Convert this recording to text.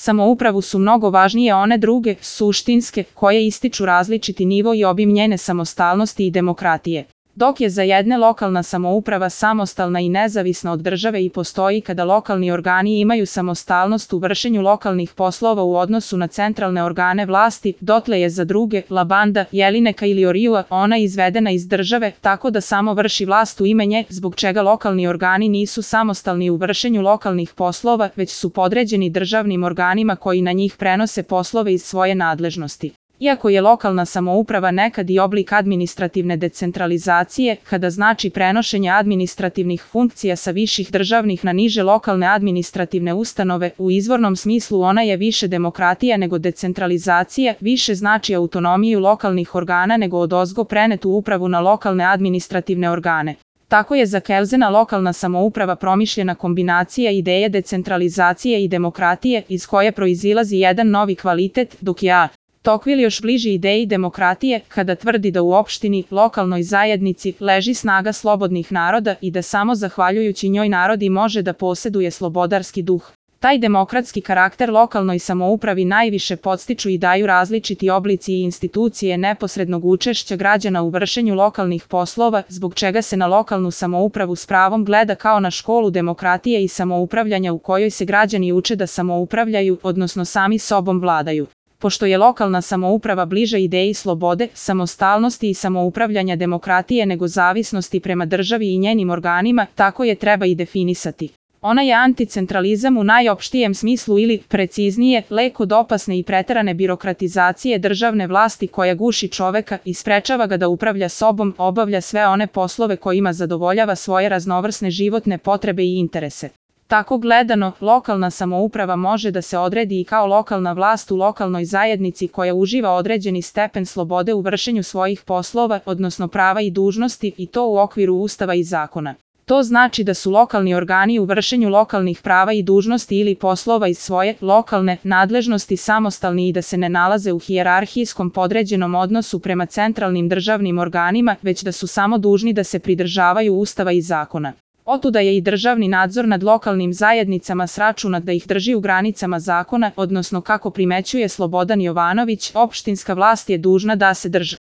samoupravu su mnogo važnije one druge, suštinske, koje ističu različiti nivo i obim njene samostalnosti i demokratije. Dok je za jedne lokalna samouprava samostalna i nezavisna od države i postoji kada lokalni organi imaju samostalnost u vršenju lokalnih poslova u odnosu na centralne organe vlasti, dotle je za druge, Labanda, Jelineka ili Oriua, ona izvedena iz države, tako da samo vrši vlast u ime nje, zbog čega lokalni organi nisu samostalni u vršenju lokalnih poslova, već su podređeni državnim organima koji na njih prenose poslove iz svoje nadležnosti. Iako je lokalna samouprava nekad i oblik administrativne decentralizacije, kada znači prenošenje administrativnih funkcija sa viših državnih na niže lokalne administrativne ustanove, u izvornom smislu ona je više demokratija nego decentralizacija, više znači autonomiju lokalnih organa nego odozgo prenetu upravu na lokalne administrativne organe. Tako je za Kelzena lokalna samouprava promišljena kombinacija ideje decentralizacije i demokratije, iz koje proizilazi jedan novi kvalitet, dok je Tocqueville još bliži ideji demokratije, kada tvrdi da u opštini, lokalnoj zajednici, leži snaga slobodnih naroda i da samo zahvaljujući njoj narodi može da poseduje slobodarski duh. Taj demokratski karakter lokalnoj samoupravi najviše podstiču i daju različiti oblici i institucije neposrednog učešća građana u vršenju lokalnih poslova, zbog čega se na lokalnu samoupravu s pravom gleda kao na školu demokratije i samoupravljanja u kojoj se građani uče da samoupravljaju, odnosno sami sobom vladaju. Pošto je lokalna samouprava bliža ideji slobode, samostalnosti i samoupravljanja demokratije nego zavisnosti prema državi i njenim organima, tako je treba i definisati. Ona je anticentralizam u najopštijem smislu ili, preciznije, lek od opasne i preterane birokratizacije državne vlasti koja guši čoveka i sprečava ga da upravlja sobom, obavlja sve one poslove kojima zadovoljava svoje raznovrsne životne potrebe i interese. Tako gledano, lokalna samouprava može da se odredi i kao lokalna vlast u lokalnoj zajednici koja uživa određeni stepen slobode u vršenju svojih poslova, odnosno prava i dužnosti, i to u okviru Ustava i zakona. To znači da su lokalni organi u vršenju lokalnih prava i dužnosti ili poslova iz svoje lokalne nadležnosti samostalni i da se ne nalaze u hijerarhijskom podređenom odnosu prema centralnim državnim organima, već da su samo dužni da se pridržavaju Ustava i zakona. Otuda je i državni nadzor nad lokalnim zajednicama sračunat da ih drži u granicama zakona, odnosno kako primećuje Slobodan Jovanović, opštinska vlast je dužna da se drži